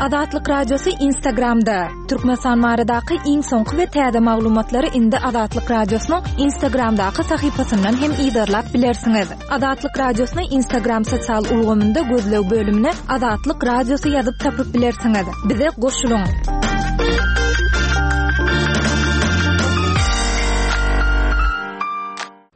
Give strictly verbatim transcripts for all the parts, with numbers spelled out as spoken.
Azatlyk Radiosy Instagramda. Türkmenistan baradaky iň soňky we täze maglumatlary indi Azatlyk Radiosynyň Instagramdaky sahypasyndan hem yzarlap bilersiňiz. Azatlyk Radiosyny Instagram sosial ulgamynda gözleg bölümine Azatlyk Radiosy ýazyp tapyp bilersiňiz. Bize goşulyň.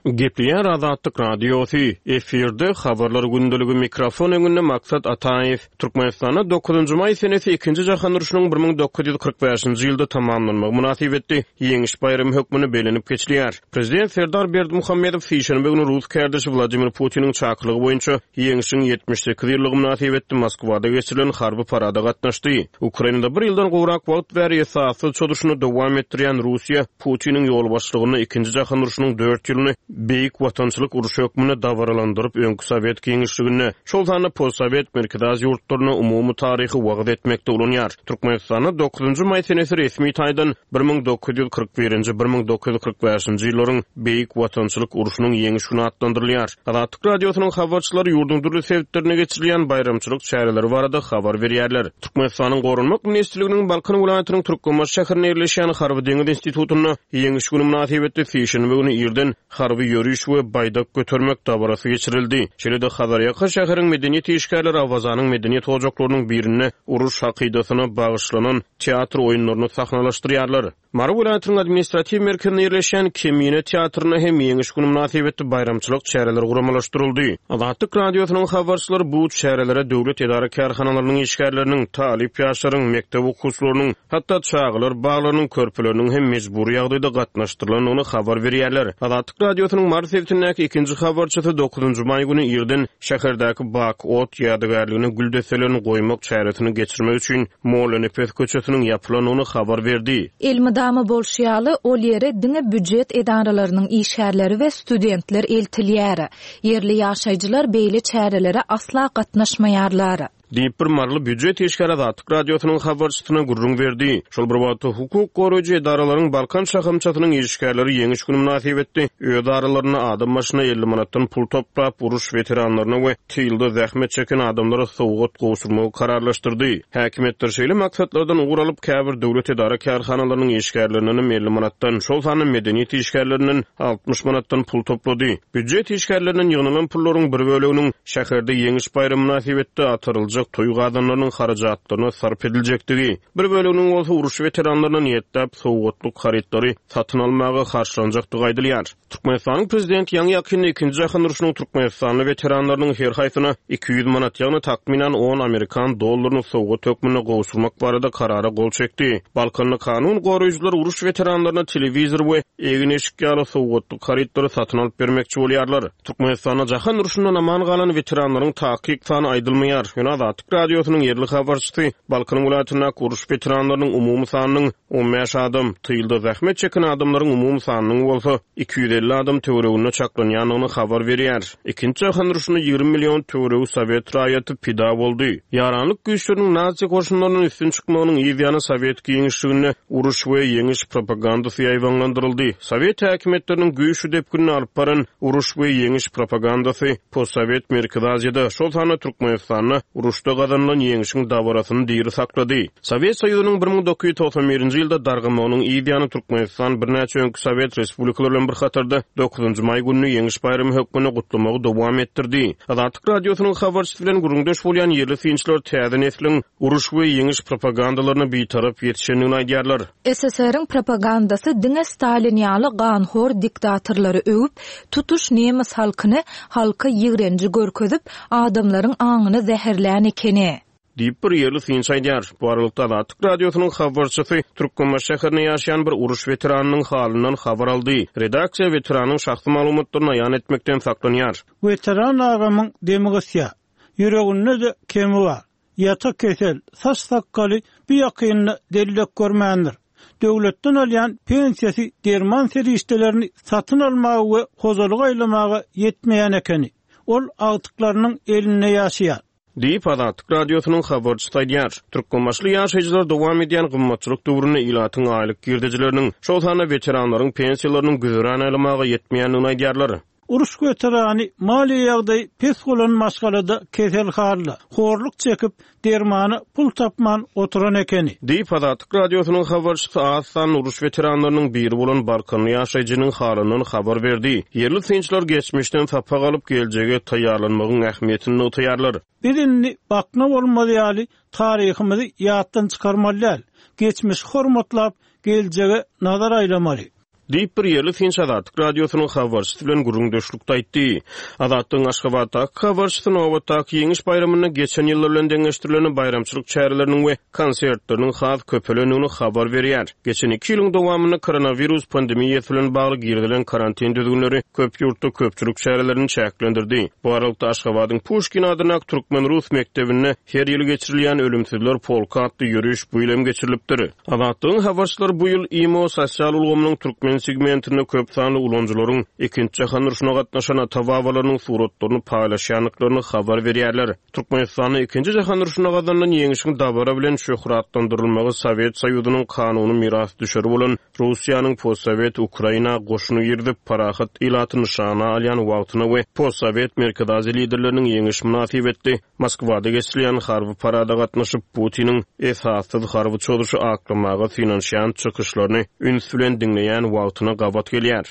Gepleýär Azatlyk Radiosy, efirde habarlar gündeligi, mikrofon öňünde Maksat Ataýew. Türkmenistanda dokuzynjy maý senesi ikinji jahan urşunyň bir müň dokuz ýüz kyrk bäşinji ýylda tamamlanmagy mynasybetli Ýeňiş baýramy hökmünde bellenip geçilýär. Prezident Serdar Berdimuhamedow sişenbe güni rus kärdeşi Wladimir Putiniň çakylygy boýunça Ýeňşiň ýetmiş sekiz ýyllygy mynasybetli Moskwada geçirilen harby parada gatnaşdy. Ukrainada bir ýyldan gowrak wagt bäri esassyz çozuşyny dowam etdirýän Russiýa Putiniň ýolbaşçylygynda ikinji jahan urşunyň dört ýylyny Beýik Watançylyk urşy hökmünde dabaralandyryp, öňki Sowet giňişliginde, şol sanda postsowet Merkezi Aziýa ýurtlaryna umumy taryhy wagyz etmekde ulanýar. Türkmenistanda dokuzynjy maý senesi resmi taýdan bir müň dokuz ýüz kyrk birinji, bir müň dokuz ýüz kyrk bäşinji ýyllaryň Beýik Watançylyk urşunyň ýeňiş güni atlandyrylýar. Azatlyk Radiosynyň habarçylary ýurduň dürli sebitlerinde geçirilýän baýramçylyk çäreleri barada habar berýärler. Türkmenistanyň Goranmak ministrliginiň Balkan welaýatynyň Türkmenbaşy şäherinde ýerleşýän Harby deňiz institutynda Ýeňiş güni mynasybetli sişenbe güni irden harby ýöriş we baýdak götermek dabarasy geçirildi. Şeýle-de Hazarýaka şäheriň medeniýet işgärleri Awazanyň medeniýet ojaklarynyň birinde uruş hakydasyna bagyşlanan teatr oýunlaryny sahnalaşdyrýarlar. Mary welaýatynyň administratiw merkezinde ýerleşýän Kemine teatrynda hem Ýeňiş güni mynasybetli baýramçylyk çäreleri guramalaşdyryldy. Azatlyk Radiosynyň habarçylary bu çärelere döwlet edara-kärhanalarynyň işgärleriniň, talyp ýaşlaryň, mekdep okuwçylarynyň, hatda çagalar baglarynyň körpeleriniň hem mejbury ýagdaýda gatnaşdyrylandygyny habar berýärler. Azatlyk Radiosynyň Mary sebitindäki ikinji habarçysy dokuzynjy maý güni irden şäherdäki Bak ot ýadygärligine gül desselerini goýmak çäresini geçirmek üçin Mollanepes köçesiniň ýapylandygyny habar berdi. Elmydama bolşy ýaly, ol ýere diňe býujet edaralarynyň işgärleri we studentler eltilýär. Ýerli ýaşaýjylar beýle çärelere asla gatnaşmaýarlar. Diýip bir maryly býujet işgäri Azatlyk Radiosynyň habarçysyna gürrüň berdi. Şol bir wagtda hukuk goraýjy edaralaryň Balkan şahamçasynyň işgärleri Ýeňiş güni mynasybetli öz aralarynda adam başyna elli manatdan pul toplap, uruş weteranlaryna we tylda zähmet çeken adamlara sowgat gowşurmagy kararlaşdyrdy. Häkimiýetler şeýle maksatlardan ugur alyp, käbir döwlet edara kärhanalarynyň işgärlerinden hem elli manatdan, şol sanda medeniýet işgärlerinden altmyş manatdan pul toplady. Býujet işgärlerinden ýygnalan pullaryň bir böleginiň şäherde Ýeňiş baýramy mynasybetli ataryljak toý gazanlarynyň harajatlaryna sarp ediljekdigi, bir böleginiň bolsa uruş weteranlaryna niýetläp sowgatlyk harytlary satyn almaga harçlanjakdygy aýdylýar. Türkmenistanyň prezidenti ýaňy ýakynda ikinji jahan urşunyň Türkmenistanly weteranlarynyň her haýsyna iki ýüz manat, ýagny takmynan on amerikan dollaryny sowgat hökmünde gowşurmak barada karara gol çekdi. Balkanly kanun goraýjylar uruş weteranlaryna telewizor we egin-eşik ýaly sowgatlyk harytlary satyn alyp bermekçi bolýarlar. Türkmenistanda jahan urşundan aman galan weteranlaryň takyk sany aýdylmaýar. Ýöne Azatlyk Radiosynyň ýerli habarçysy Balkan welaýatyndaky uruş weteranlarynyň umumy sanynyň on bäş adam, tylda zähmet çeken adamlaryň umumy sanynyň bolsa iki ýüz elli adam töwereginde çaklanýandygyny habar berýär. Ikinji jahan urşunda ýigrimi million töweregi sowet raýaty pida boldy. Ýaranlyk güýçleriniň nazi goşunlarynyň üstün çykmagynyň yz ýany sowet giňişliginde uruş we ýeňiş propagandasy ýaýbaňlandyryldy. Sowet häkimiýetleriniň güýçli depginini alyp baran uruş we ýeňiş propagandasy postsowet Merkezi Aziýada, şol sanda Türkmenistanda uruşda gazanylan ýeňşiň dabarasyny diri saklady. Sowet Soýuzynyň bir müň dokuz ýüz togsan birinji ýylda dargamagynyň yz ýany Türkmenistan birnäçe öňki sowet respublikalary bilen bir hatarda dokuzynjy maý gününi ýeňiş baýramy hökmünde gutlamagy dowam etdirdi. Azatlyk Radiosynyň habarçysy bilen gürrüňdeş bolýan ýerli synçylar täze nesliň uruş we ýeňiş propagandalaryna bitarap ýetişendigini aýdýarlar. S S R-iň propagandasy diňe Stalin ýaly ganhor diktatorlary öwüp, tutuş nemes halkyny halka ýigrenji görkezip, adamlaryň aňyny zäherlän ekeni. Diýip bir ýerli synçy aýdýar. Bu aralykda Azatlyk Radiosynyň habarçysy Türkmenbaşy şäherinde ýaşaýan bir uruş weteranynyň halyndan habar aldy. Redaksiýa weteranyň şahsy maglumatlaryny aýan etmekden saklanýar. Weteran agamyň demi gysýar. Ýüreginde-de kemi bar. Ýata kesel, saç sakgaly bir ýakynda dellek görmändir. Döwletden alýan pensiýasy derman serişdelerini satyn almaga we hojalyk aýlamaga ýetmeýän ekeni. Ol agtyklarynyň elinde ýaşaýar. Diýip Azatlyk Radiosynyň habarçysy aýdýar. Türkmenbaşyly ýaşaýjylar dowam edýän gymmatçylyk döwründe ilatyň aýlyk girdejileriniň, şol sanda weteranlaryň pensiýalarynyň güzeran aýlamaga ýetmeýändigini aýdýarlar. Uruş weterany maliýe ýagdaýy pes bolan maşgalada keselhana, horluk çekip, dermana pul tapman oturan ekeni. Diýip, Azatlyk Radiosynyň habarçysy az sanly uruş weteranlarynyň biri bolan balkanly ýaşaýjynyň halyndan habar berdi. Ýerli synçylar geçmişden sapak alyp, geljege taýýarlanmagyň ähmiýetini nygtaýarlar. Biz indi bakna bolmaz ýaly taryhymyzy ýatdan çykarmaly däl. Geçmişi hormatlap, geljege nazar aýlamaly. Diýip, bir ýerli synçy Azatlyk Radiosynyň habarçysy bilen gürrüňdeşlikde aýtdy. Azatlygyň Aşgabatdaky habarçysy nobatdaky Ýeňiş baýramynda geçen ýyllar bilen deňeşdirilende baýramçylyk çäreleriniň we konsertleriniň has köpelendigini habar berýär. Geçen iki ýylyň dowamynda koronawirus pandemiýasy bilen bagly girizilen karantin düzgünleri köp ýurtda köpçülik çärelerini çäklendirdi. Bu aralykda Aşgabadyň Puşkin adyndaky türkmen-rus mekdebinde her ýyl geçirilýän Ölümsüzler polky atly ýöriş bu ýyl hem geçirilipdir. Azatlygyň habarçylary bu ýyl imo sosial ulgamynyň türkmen segmentinde köp sanly ulanyjylaryň ikinji jahan urşuna gatnaşan ata-babalarynyň suratlaryny paýlaşýandyklaryny habar berýärler. Türkmenistanda ikinji jahan urşunda gazanylan ýeňişiň dabara bilen şöhratlandyrylmagy Sowet Soýuzynyň kanuny mirasdüşeri bolan Russiýanyň postsowet Ukraina goşuny girizip, parahat ilaty nyşana alýan wagtyna we postsowet Merkezi Aziýa liderleriniň ýeňiş mynasybetli Moskwada geçirilýän harby parada gatnaşyp, Putiniň esassyz harby çozuşy aklamaga synanyşýan çykyşlaryny üns bilen diňleýän wagtyna gabat gelýär.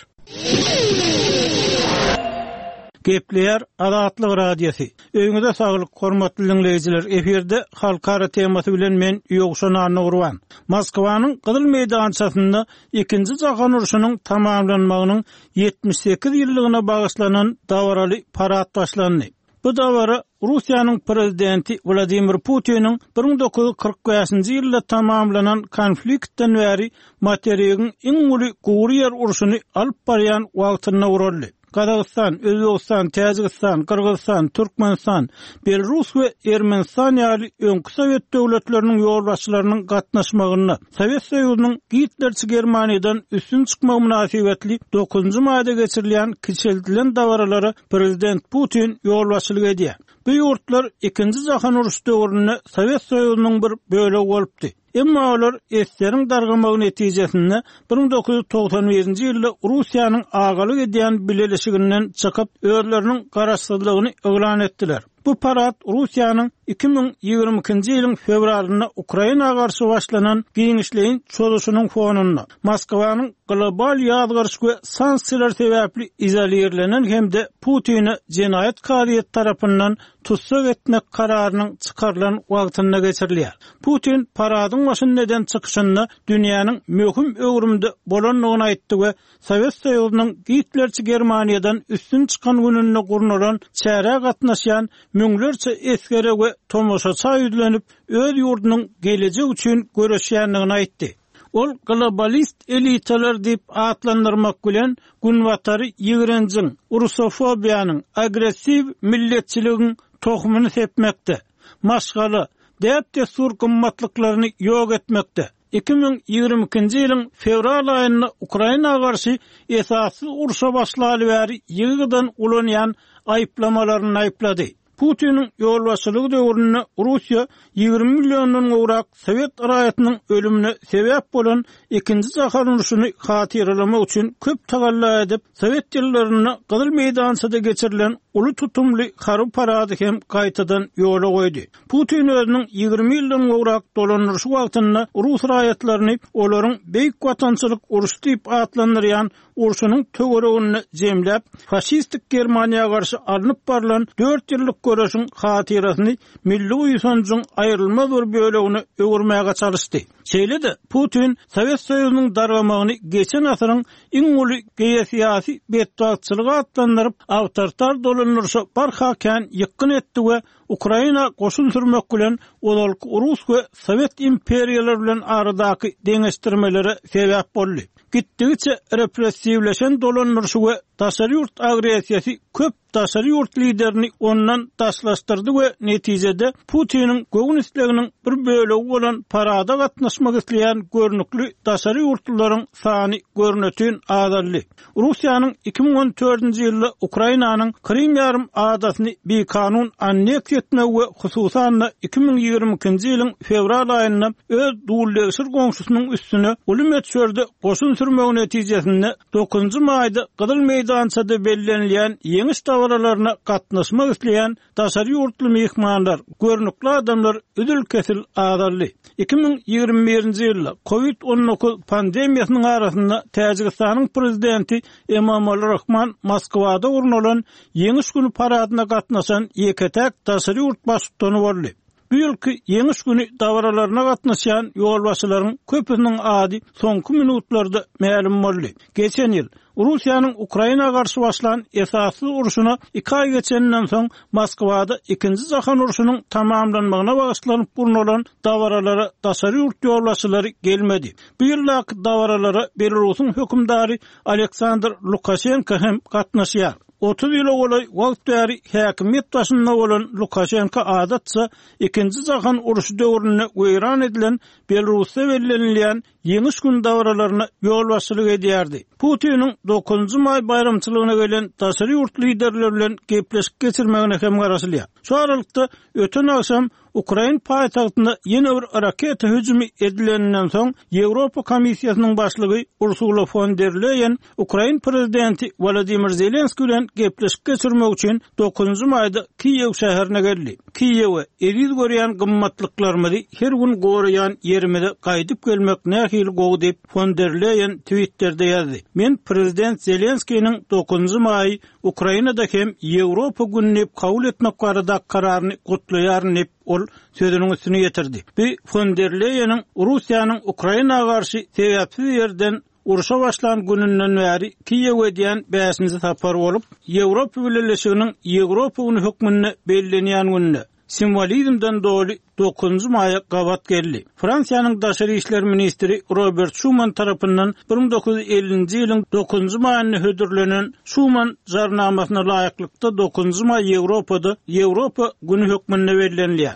Gepleýär Azatlyk Radiosy. Öýüňize saglyk, hormatly dinleýjiler. Efirde halkara temasy bilen men Ýowşan Annagurban. Moskwanyň Gyzyl meýdançasynda ikinji jahan urşunyň tamamlanmagynyň ýetmiş sekiz ýyllygyna bagyşlanan dabaraly parad başlandy. Bu dabara Russiýanyň prezidenti Wladimir Putiniň bir müň dokuz ýüz kyrk bäşinji ýylda tamamlanan konfliktden bäri materigiň iň uly gury ýer urşuny alyp barýan wagtynda guraldy. Gazagystan, Özbegistan, Täjigistan, Gyrgyzystan, Türkmenistan, Belarus we Ermenistan ýaly öňki Sowet döwletleriniň ýolbaşçylarynyň gatnaşmagynda Sowet Soýuzynyň Gitlerçi Germaniýadan üstün çykmagy mynasybetli dokuzynjy maýda geçirilýän kiçeldilen dabaralara Prezident Putin ýolbaşçylyk edýär. Bu ýurtlar ikinji jahan urşy döwründe Sowet Soýuzynyň bir bölegi bolupdy. Emma olar eseriň dargamagy netijesinde bir müň dokuz ýüz togsan birinji ýylda Russiýanyň agalyk edýän bileleşiginden çykyp, özleriniň garaşsyzlygyny yglan etdiler. Bu parad Russiýanyň iki müň ýigrimi ikinji ýylyň fewralynda Ukraina garşy başlanan giňişleýin çozuşynyň fonunda Moskwanyň global ýazgaryş we sanksiýalar sebäpli izolirlenen hem-de Putini jenaýat kazyýeti tarapyndan tussag etmek kararynyň çykarylan wagtynda geçirilýär. Putin paradyň başynda eden çykyşynda dünýäniň möhüm öwrümde bolandygyny aýtdy we Sowet Soýuzynyň Gitlerçi Germaniýadan üstün çykan gününde gurnalan çärä gatnaşýan müňlerçe esgere we tomaşaça ýüzlenip, öz ýurdunyň gelejek üçin göreşýändigini aýtdy. Ol globalist elitalar diýip atlandyrmak bilen Günbatary ýigrenjiň, rusofobiýanyň, agressiw milletçiligiň tohumyny sepmekde, maşgala, däp-dessur gymmatlyklaryny ýok etmekde. iki müň ýigrimi ikinji ýylyň fewral aýynda Ukraina garşy esassyz urşa başlaly bäri ýygy-ýygydan ulanýan aýyplamalaryny aýyplady. Putiniň ýolbaşçylygy döwründe Russiýa ýigrimi milliondan gowrak sowet raýatynyň ölümine sebäp bolan ikinji jahan urşuny hatyralamak üçin köp tagalla edip, sowet ýyllarynda Gyzyl meýdançada geçirilen uly tutumly harby parady hem gaýtadan ýola goýdy. Putin özüniň ýigrimi ýyldan gowrak dolandyryşy wagtynda rus raýatlaryny olaryň Beýik Watançylyk urşy diýip atlandyrýan urşunyň töwereginde jemläp, faşistik Germaniýa garşy alnyp barylan dört ýyllyk göreşiň hatyrasyny milli buýsanjyň aýrylmaz bir bölegine öwürmäge çalyşdy. Şeýle-de Putin Sowet Soýuzynyň dargamagyny geçen asyryň iň uly geosyýasy betbagtçylygy atlandyryp, awtoritar dolandyryşa barha kän ýykgyn etdi we Ukraina goşun sürmek bilen ozalky Rus we Sowet imperiýalary bilen aradaky deňeşdirmelere sebäp boldy. Gitdigiçe repressiwleşen dolandyryşy we daşary ýurt agressiýasy köp daşary ýurt liderini ondan daşlaşdyrdy we netijede Putiniň göwün isleginiň bir bölegi bolan parada gatnaşmak isleýän görnükli daşary ýurtlylaryň sany görnütün azaldy. Russiýanyň iki müň on dördünji ýylda Ukrainanyň Krym ýarym adasyny bikanun anneksiýa etmegi we hususan-da iki müň ýigrimi ikinji ýylyň fewral aýynda öz dullegşir goňşusynyň üstüne uly möçberde goşun sürmegi netijesinde dokuzynjy maýda Gyzyl meýdançada bellenilýän ýeňiş dabaralaryna gatnaşmak isleýän daşary ýurtly myhmanlar, görnükli adamlar üzül-kesil azaldy. iki müň ýigrimi birinji ýylda COVID on dokuz pandemiýasynyň arasynda Täjigistanyň prezidenti Emomali Rahman Moskwada gurnalan Ýeňiş günü paradyna gatnaşan ýeke-täk daşary ýurt baştutany boldy. Bu ýylky Ýeňiş günü dabaralaryna gatnaşan ýolbaşçylaryň köpüsiniň ady soňky minutlarda mälim boldy. Geçen ýyl Russiýanyň Ukraina garşy başlan esasly urşuna iki aý geçenden soň Moskwada ikinji jahan urşunyň tamamlanmagyna bagyşlanyp gurnalan dabaralara daşary ýurt ýolbaşçylary gelmedi. Bu ýyldaky dabaralara Belarusyň hökümdary Aleksandr Lukaşenko hem gatnaşýar. Otuz ýyla golaý wagt bäri häkimiýet başynda bolan Lukaşenko adatça ikinji jahan urşy döwründe weýran edilen Belarusda bellenilýän Ýeňiş gün dabaralaryna ýolbaşçylyk edýärdi. Putiniň dokuzynjy maý baýramçylygyna gelen daşary ýurt liderleri bilen gepleşik geçirmegine hem garaşylýar. Şu aralykda öten agşam Ukrain paýtagtynda ýene bir raketa hüjümi edileninden soň Ýewropa Komissiýasynyň başlygy Ursula fon der Leyen Ukrain prezidenti Wladimir Zelenskiý bilen gepleşik geçirmek üçin dokuzynjy maýda Kiýew şäherine geldi. Kiýewe eziz görýän gymmatlyklarymyzy her gün goraýan ýerimize gaýdyp gelmek nähili gowy diýip fon der Leyen Twitter'de ýazdy. Men prezident Zelenskiniň dokuzynjy maý Ukrainada hem Ýewropa gününi kabul etmek barada kararyny gutlaýaryn diýip ol sözüniň üstüne getirdi. Bu fon der Leyeniň Russiýanyň Ukraina garşy sebäpsiz ýerden urşa başlan gününden bäri Kiýew edýän bäşinji sapar bolup, Ýewropa Bileleşiginiň Ýewropa günü hökmünde bellenýän günde simbolizmden doly dokuzynjy maýa gabat geldi. Fransiýanyň daşary işler ministri Robert Schuman tarapyndan bir müň dokuz ýüz ellinji ýylyň dokuzynjy maýynda hödürlenen Schuman jarnamasyna laýyklykda dokuzynjy maý Ýewropada Ýewropa günü hökmünde bellenilýär.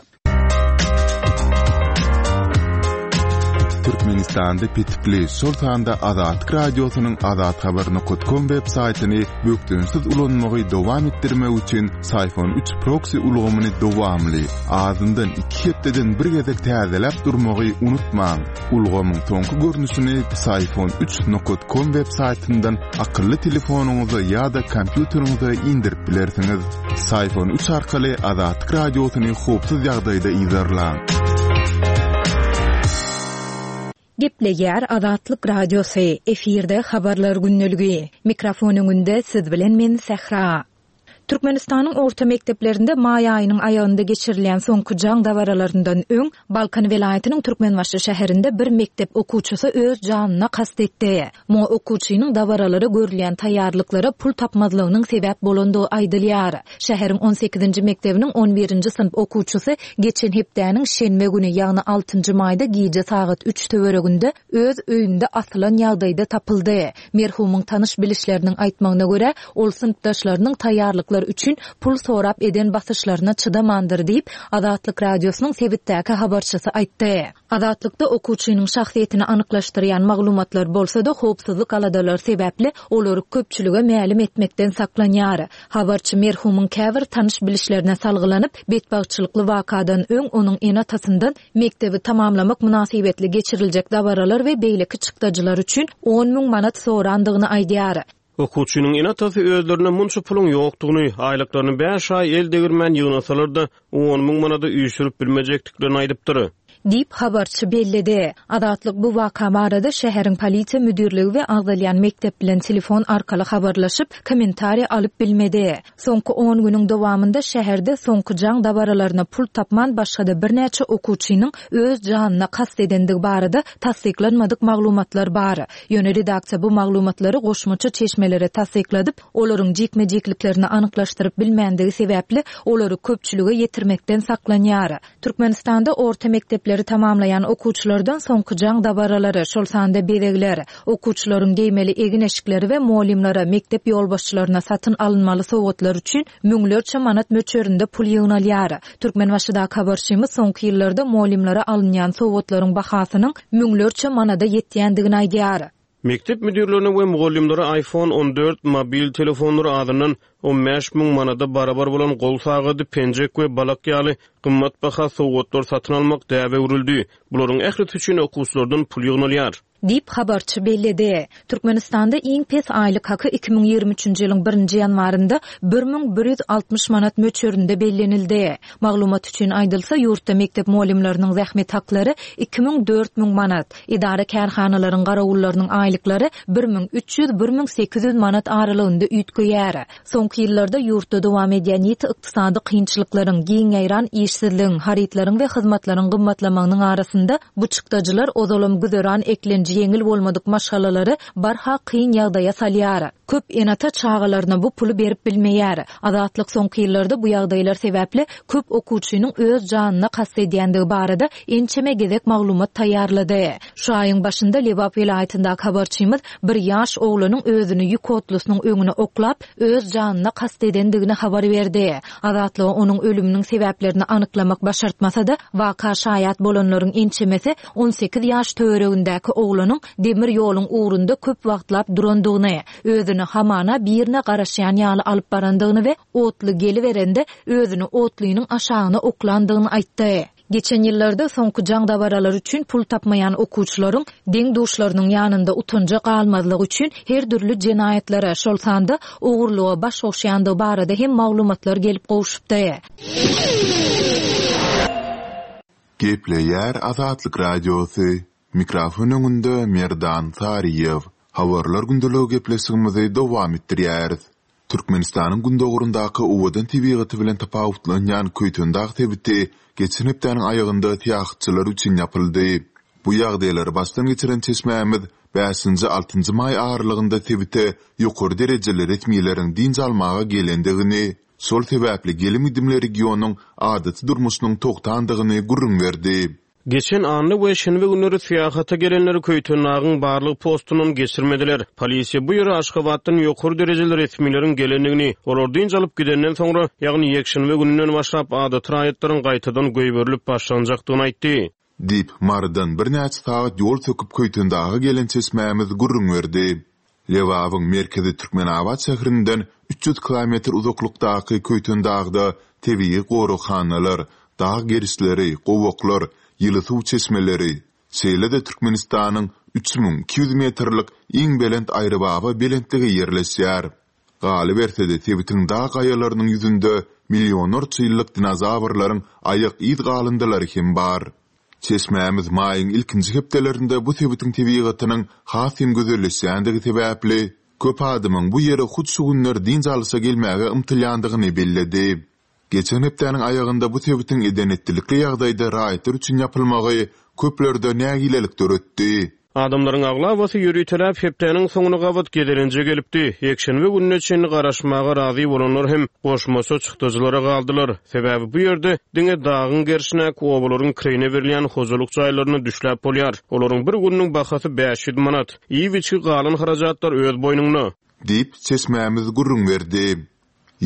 Türkmenistanda petikli, şol sanda Azatlyk Radiosynyň azathabar nokta com web saýtyny bökdençsiz ulanmagy dowam etdirmek üçin Syfon üç proxy ulgamyny dowamly, azyndan iki hepdeden bir gezek täzeläp durmagy unutmaň. Ulgamyň soňky görnüşini Syfon üç nokta com web saýtyndan akylly telefonyňyza ýa-da kompýuteriňize indirip bilersiňiz. Syfon üç arkaly Azatlyk Radiosyny howpsuz ýagdaýda yzarlaň. Gepleýär Azatlyk Radiosy, efirde habarlar gündeligi. Mikrofon öňünde siz bilen men Sähra. Türkmenistanyň orta mekdeplerinde maý aýynyň aýagynda geçirilýän soňky jaň dabaralaryndan öň Balkan welaýatynyň Türkmenbaşy şäherinde bir mekdep okuwçysy öz janyna kast etdi. Muňa okuwçynyň dabaralara görülýän taýýarlyklara pul tapmazlygynyň sebäp bolandygy aýdylýar. Şäheriň on sekizinji mekdebiniň on birinji synp okuwçysy geçen hepdäniň şenbe güni, ýagny altynjy maýda gije sagat üç töwereginde öz öýünde asylan ýagdaýda tapyldy. Merhumyň tanyş bilişleriniň aýtmagyna görä, ol synpdaşlarynyň taýýarlyklar üçin pul sorap eden basyşlaryna çydamandyr diýip, Azatlyk Radiosynyň sebitdäki habarçysy aýtdy. Azatlykda okuwçynyň şahsyýetini anyklaşdyrýan maglumatlar bolsa-da howpsuzlyk aladalary sebäpli olary köpçülige mälim etmekden saklanýar. Habarçy merhumyň käbir tanyş bilişlerine salgylanyp, betbagtçylykly wakadan öň onuň ene-atasyndan mekdebi tamamlamak mynasybetli geçiriljek dabaralar we beýleki çykdajylar üçin on müň manat sorandygyny aýdýar. Okuwçynyň ene-atasy özlerine munça puluň ýokdugyny, aýlyklaryny bäş aý el degirmän ýygnasalar-da on müň manada üýşürip bilmejekdiklerini aýdypdyr. Diýip habarçy belledi. Azatlyk bu waka barada şäheriň polisiýa müdirligi we agzalýan mekdep bilen telefon arkaly habarlaşyp, kommentariýa alyp bilmedi. Soňky on günüň dowamynda şäherde soňky jaň dabaralaryna pul tapman başga-da birnäçe okuwçynyň öz janyna kast edendigi barada tassyklanmadyk maglumatlar bar. Ýöne redaksiýa bu maglumatlary goşmaça çeşmelere tassykladyp, olaryň jikme-jikliklerini anyklaşdyryp bilmändigi sebäpli olary köpçülige ýetirmekden saklanýar. Türkmenistanda orta mekdepler Mekdepleri tamamlaýan okuwçylardan soňky jaň dabaralary, şol sanda bezegler, okuwçylaryň geýmeli egin-eşikleri we mugallymlara, mekdep ýolbaşçylaryna satyn alynmaly sowgatlar üçin müňlerçe manat möçberinde pul ýygnalýar. Türkmenbaşydaky habarçymyz soňky ýyllarda mugallymlara alynýan sowgatlaryň bahasynyň müňlerçe manada ýetýändigini aýdýar. Mekdep müdirlerine we mugallymlara iPhone on dört mobil telefonlary azyndan on bäş müň manada barabar bolan gol sagady, penjek we balak ýaly gymmat baha sowgatlar satyn almak däbe öwrüldi. Bularyň ählisi üçin okuwçylardan pul ýygnalýar. Diýip habarçy belledi. Türkmenistanda iň pes aýlyk haky iki müň ýigrimi üçünji ýylyň birinji ýanwarynda bir müň bir ýüz altmyş manat möçberinde bellenildi. Maglumat üçin aýdylsa, ýurtda mekdep mugallymlarynyň zähmet haklary iki müň dört müň manat, idara kärhanalaryň garawullarynyň aýlyklary bir müň üç ýüz bir müň sekiz ýüz manat aralygynda üýtgeýär. Soňky ýyllarda ýurtda dowam edýän ýiti ykdysady kynçylyklaryň, giň ýaýran işsizligiň, harytlaryň we hyzmatlaryň gymmatlamagynyň arasynda bu çykdajylar ozalam güzeran eklenji ýeňil bolmadyk maşgalalary barha kyn ýagdaýa salýar. Köp ene-ata çagalaryna bu puly berip bilmeýär. Azatlyk soňky ýyllarda bu ýagdaýlar sebäpli köp okuwçynyň öz janyna kast edýändigi barada ençeme gezek maglumat taýýarlady. Şu aýyň başynda Lebap welaýatyndaky habarçymyz bir ýaş oglanyň özüni ýük otlusynyň öňüne oklap, öz janyna kast edendigini habar berdi. Azatlyga onuň ölüminiň sebäplerini anyklamak başartmasa-da, waka şaýat bolanlaryň ençemesi on sekiz ýaş töweregindäki oglanyň demir ýoluň ugrunda köp wagtlap durandygyny, özüni hamana birine garaşýan ýaly alyp barandygyny we otly geliberende özüni otlynyň aşagyna oklandygyny aýtdy. Geçen ýyllarda soňky jaň dabaralary üçin pul tapmaýan okuwçylaryň deň-duşlarynyň ýanynda utanja galmazlygy üçin her dürli jenaýatlara, şol sanda ogurlyga baş goşýandygy barada hem maglumatlar gelip gowşupdy. Gepleýär Azatlyk Radiosy. Mikrofon öňünde Merdan Saryýew. Habarlar gündeligi gepleşigimizi dowam etdirýäris. Türkmenistanyň gündoguryndaky owadan tebigaty bilen tapawutlanýan Köýtendag sebiti geçen hepdäniň aýagynda syýahatçylar üçin ýapyldy. Bu ýagdaýlary başdan geçiren çeşmämiz bäşinji altynjy maý aralygynda sebite ýokary derejeli resmileriň dynç almaga gelendigini, şol sebäpli gelim-gidimli regionyň adaty durmuşynyň togtandygyny gürrüň berdi. Geçen anna we şenbe günleri syýahata gelenleri Köýtendagyň barlyk postundan geçirmediler. Polisiýa bu ýere Aşgabatdan ýokary derejeli resmileriň gelendigini, olar dynç alyp gidenden soňra, ýagny ýekşenbe gününden başlap adaty raýatlaryň gaýtadan goýberilip başlanjakdygyny aýtdy. Diýip, Marydan birnäçe sagat ýol söküp Köýtendaga gelen çeşmämiz gürrüň berdi. Lebabyň merkezi Türkmenabat şäherinden üç ýüz kilometr uzaklykdaky Köýtendagda tebigy goraghanalar, dag gerişleri, gowaklar, ýyly suw çeşmeleri, şeýle-de Türkmenistanyň üç müň iki ýüz metrlik iň belent Aýrybaba belentligi ýerleşýär. Galyberse-de sebitiň dag gaýalarynyň ýüzünde millionlarça ýyllyk dinozawrlaryň aýak yz galyndylary hem bar. Çeşmämiz maýyň ilkinji hepdelerinde bu sebitiň tebigatynyň has hem gözelleşýändigi sebäpli köp adamyň bu ýere hut şu günler dynç alyşa gelmäge ymtylýandygyny belledi. Geçen hepdäniň aýagynda bu sebitiň edenetlilikli ýagdaýda raýatlar üçin ýapylmagy köplerde nägilelik döretdi. Adamlaryň aglabasy ýöriteläp hepdäniň soňuna gabat gezelenje gelipdi. Ýekşenbe gününe çenli garaşmaga razy bolanlar hem goşmaça çykdajylara galdylar. Sebäbi bu ýerde diňe dagyň gerşinäki obalaryň kireýine berilýän hojalyk jaýlaryna düşläp bolýar. Olaryň bir gününiň bahasy bäş ýüz manat. Iýip-içgi galan harajatlar öz boýnunda. Diýip, çeşmämiz gürrüň berdi.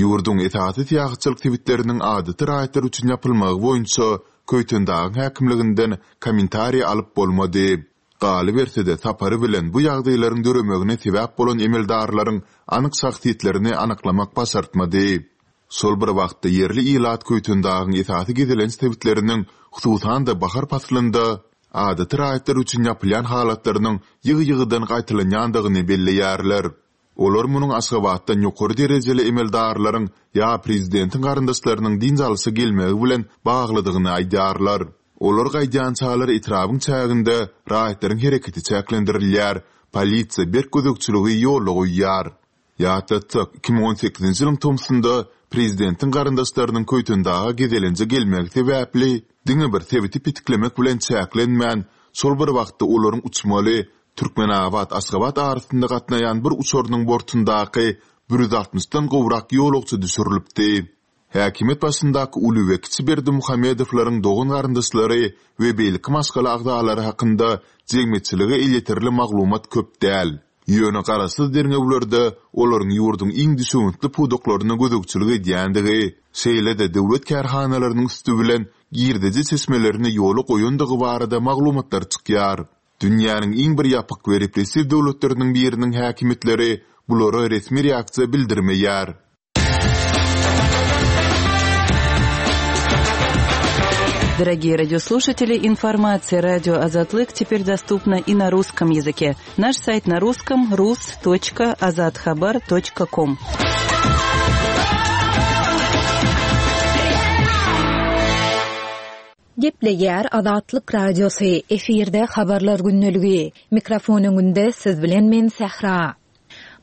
Ýurduň esasy syýahatçylyk sebitleriniň adaty raýatlar üçin ýapylmagy boýunça Köýtendagyň häkimliginden kommentariý alyp bolmady. Galyberse-de sapary bilen bu ýagdaýlaryň döremegine sebäp bolan emeldarlaryň anyk şahsyýetlerini anyklamak başartmady. Şol bir wagtda ýerli ilat Köýtendagyň esasy gezelenç sebitleriniň, hususan-da bahar paslynda adaty raýatlar üçin ýapylýan halatlarynyň ýygy-ýygydan gaýtalanýandygyny belleýärler. Olar munuň Aşgabatdan ýokary derejeli emeldarlaryň ýa prezidentiň garyndaşlarynyň dynç alyşa gelmegi bilen baglydygyny aýdýarlar. Olar gaýdýançalar etrabyň çäginde raýatlaryň hereketi çäklendirilýär, polisiýa berk gözegçiligi ýola goýýar. Ýatlatsak, iki müň on sekizinji ýylyň tomsunda prezidentiň garyndaşlarynyň Köýtendaga gezelenje gelmegi sebäpli diňe bir sebiti petiklemek bilen çäklenmän, şol bir wagtda olaryň uçmaly Türkmenabat Aşgabat arasynda gatnaýan bir uçarynyň bortundaky bir ýüz altmyşdan gowrak ýolagçy düşürilipdi. Häkimiýet başyndaky uly we kiçi Berdimuhamedowlaryň dogan-garyndaşlary we beýleki maşgala agzalary hakynda jemgyýetçilige elýeterli maglumat köp däl. Ýöne garaşsyz derňewlerde olaryň ýurduň iň düşewüntli pudaklaryna gözegçilik edýändigi, şeýle-de döwlet kärhanalarynyň üsti bilen girdeji çeşmelerini ýola goýandygy barada maglumatlar çykýar. Dünýäniň iň bir ýapyk we repressiw döwletleriniň biriniň häkimiýetleri bulara resmi reaksiýa bildirmeýär. Дорогие радиослушатели, информация радио Азатлык теперь доступна и на русском языке. Наш сайт на русском rus.azathabar.com. Gepleýär Azatlyk Radiosy, efirde habarlar günlügi. Mikrofon öňünde siz bilen men Sähra.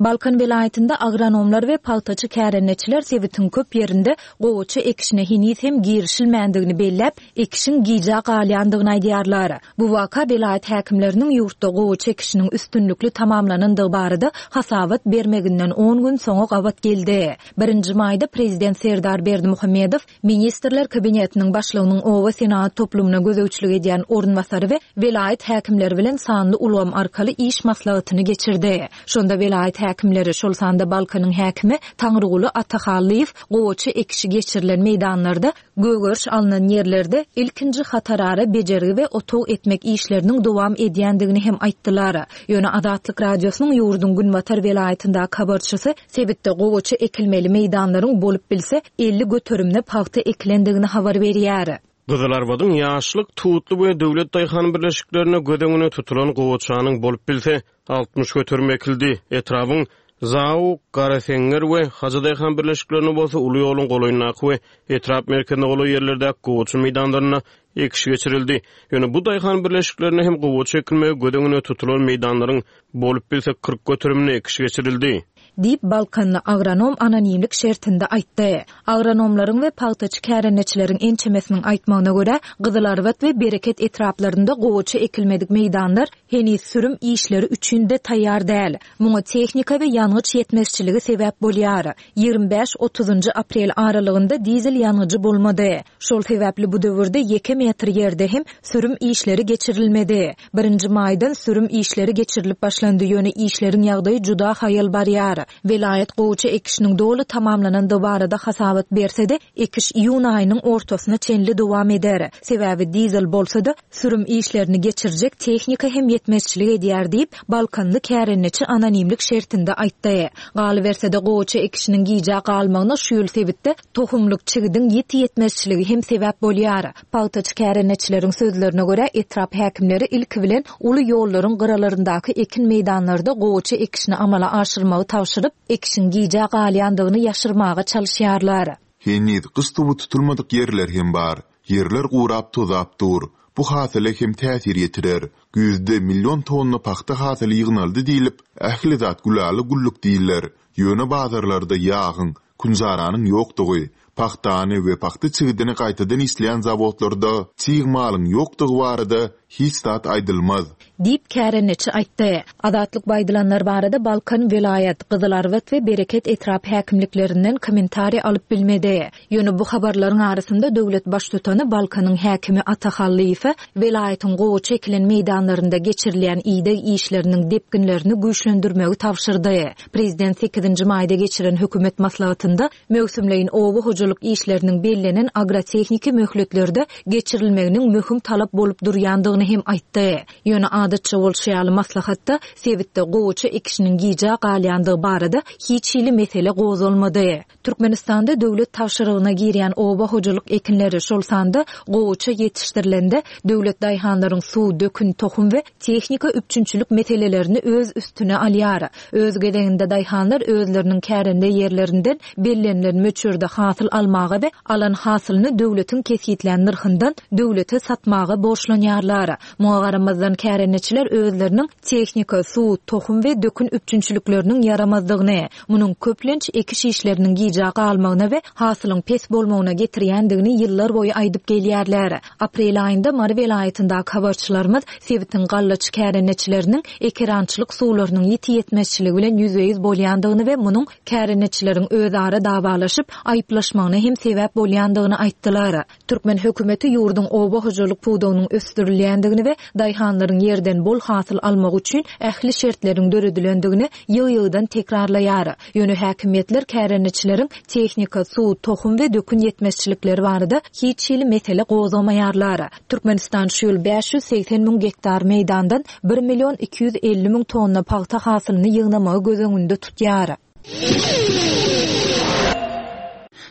Balkan welaýatynda agronomlar we pagtaçy kärendeçiler sebitiň köp ýerinde gowaça ekişine heniz hem girişilmändigini belläp, ekişiň gijä galýandygyny aýdýarlar. Bu waka welaýat häkimleriniň ýurtda gowaça ekişiniň üstünlikli tamamlanandygy barada hasabat bermeginden on gün soňa gabat geldi. Birinji maýda Prezident Serdar Berdimuhamedow Ministrler Kabinetiniň başlygynyň oba senagat toplumyna gözegçilik edýän orunbasary we welaýat häkimleri bilen sanly ulgam arkaly iş maslahatyny geçirdi. Şonda welaýat häkimleri, şol sanda Balkanyň häkimi Taňryguly Atahallyýew gowaça ekişi geçirilen meýdanlarda gögeriş alnan ýerlerde ilkinji hatarara bejergi we otag etmek işleriniň dowam edýändigini hem aýtdylar. Ýöne Azatlyk Radiosynyň ýurduň Günbatar welaýatyndaky habarçysy sebitde gowaça ekilmeli meýdanlaryň bolup bilse elli göterimine pagta ekilendigini habar berýär. Gyzylarbadyň ýaşlyk, tutly we döwlet daýhan birleşiklerine göz öňüne tutulan gowaçanyň bolup bilse altmyş göterim ekildi. Etrabın Zau, Garaseňňer we Hajy daýhan birleşiklerine bolsa uly ýoluň golaýyndaky we etrap merkezine golaý ýerlerdäki gowaça meýdanlaryna ekiş geçirildi. Ýöne bu daýhan birleşiklerine hem gowaça ekilmegi göz öňüne tutulan meýdanlaryň bolup bilse kyrk göterimine ekiş geçirildi. Diýip Balkanly agronom anonimlik şertinde aýtdy. Agronomlaryň we pagtaçy kärendeçileriň ençemesiniň aýtmagyna görä, Gyzylarbat we Bereket etraplarynda gowaça ekilmedik meýdanlar heniz sürüm işleri üçin de taýýar däl. Muňa tehnika we ýangyç ýetmezçiligi sebäp bolýar. Ýigrimi bäş otuzynjy aprel aralygynda dizel ýangyjy bolmady. Şol sebäpli bu döwürde ýeke metr ýerde hem sürüm işleri geçirilmedi. Birinji maýdan sürüm işleri geçirilip başlandy, ýöne işleriň ýagdaýy juda haýal barýar. Welaýat gowaça ekişiniň doly tamamlanandygy barada hasabat berse-de, ekiş iýun aýynyň ortasyna çenli dowam eder. Sebäbi dizel bolsa-da sürüm işlerini geçirjek tehnika hem ýetmezçilik edýär diýip, Balkanly kärendeçi anonimlik şertinde aýtdy. Galyberse-de gowaça ekişiniň gijä galmagyna şu ýyl sebitde tohumlyk çigidiň ýeti ýetmezçiligi hem sebäp bolýar. Pagtaçy kärendeçileriň sözlerine görä, etrap häkimleri ilki bilen uly ýollaryň gyralaryndaky ekin meýdanlarda gowaça ekişini amala aşyrmagy tabşyryp, ekişiň gijä galýandygyny ýaşyrmaga çalyşýarlar. Heniz gyş suwy tutulmadyk ýerler hem bar. Ýerler gurap tozap dur. Bu hasyla hem täsir ýetirer. Güýzde milyon tonna pagta hasyly ýygnaldy diýlip, ähli zat gülaly güllük diýiler. Ýöne bazarlarda ýagyň, kunjaranyň ýokdugy, pagtany we pagta çigidini gaýtadan işleýän zawodlarda çig malyň ýokdugy barada hiç zat aýdylmaz. Diýip kärendeçi aýtdy. Azatlyk baýdylanlar barada Balkan welaýat, Gyzylarbat we Bereket etrap häkimliklerinden kommentariý alyp bilmedi. Ýöne bu habarlaryň arasynda döwlet baştutany Balkanyň häkimi Atahallyýewe welaýatyň gowaça ekilen meýdanlarynda geçirilýän ideg işleriniň depginlerini güýçlendirmegi tabşyrdy. Prezident sekizinji maýda geçiren hökümet maslahatynda möwsümleýin oba hojalyk işleriniň bellenen agrotehniki möhletlerde geçirilmeginiň möhüm talap bolup durýandygyny hem aýtdy. Ýöne adatça bolşy ýaly maslahatda sebitde gowaça ekişiniň gijä galýandygy barada hiç hili mesele gozgalmady. Türkmenistanda döwlet tabşyrygyna girýän oba hojalyk ekinleri, şol sanda gowaça ýetişdirilende döwlet daýhanlaryň suw, dökün, tohum we tehnika üpjünçilik meselelerini öz üstüne alýar. Öz gezeginde daýhanlar özleriniň kärende ýerlerinden bellenilen möçberde hasyl almaga we alan hasylyny döwletiň kesgitlän nyrhyndan döwlete satmaga borçlanýarlar. Muňa garamazdan kärendeçileriň Kärendeçiler özleriniň tehnika, suw, tohum we dökün üpjünçilikleriniň ýaramazdygyny, munuň köplenç ekiş işleriniň gijä galmagyna we hasylyň pes bolmagyna getirýändigini ýyllar boýy aýdyp gelýärler. Aprel aýynda Mary welaýatyndaky habarçylarymyz sebitiň gallaçy kärendeçileriniň ekerançylyk suwlarynyň ýiti ýetmezçiligi bilen ýüzbe-ýüz bolýandygyny we munuň kärendeçileriň özara dawalaşyp, aýyplaşmagyna hem sebäp bolýandygyny aýtdylar. Türkmen hökümeti ýurduň oba hojalyk pudagynyň ösdürilýändigini we daýhanlaryň ýerden bol hasyl almagy üçin ähli şertleriň döredilendigini ýygy-ýygydan tekrarlaýar. Ýöne häkimiýetler kärendeçileriň tehnika, suw, tohum we dökün ýetmezçilikleri barada hiç hili mesele gozgamaýarlar. Türkmenistan şu ýyl bäş ýüz segsen müň gektar meýdandan bir million iki ýüz elli müň tonna pagta hasylyny ýygnamagy göz öňünde tutýar.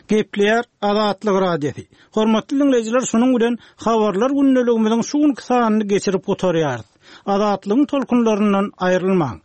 Gepleýär Azatlyk Radiosy. Hormatly dinleýjiler, şunuň bilen habarlar gündeligimiziň şu günki sanyny geçirip gutarýarys. Azatlygyň tolkunlaryndan aýrylmaň.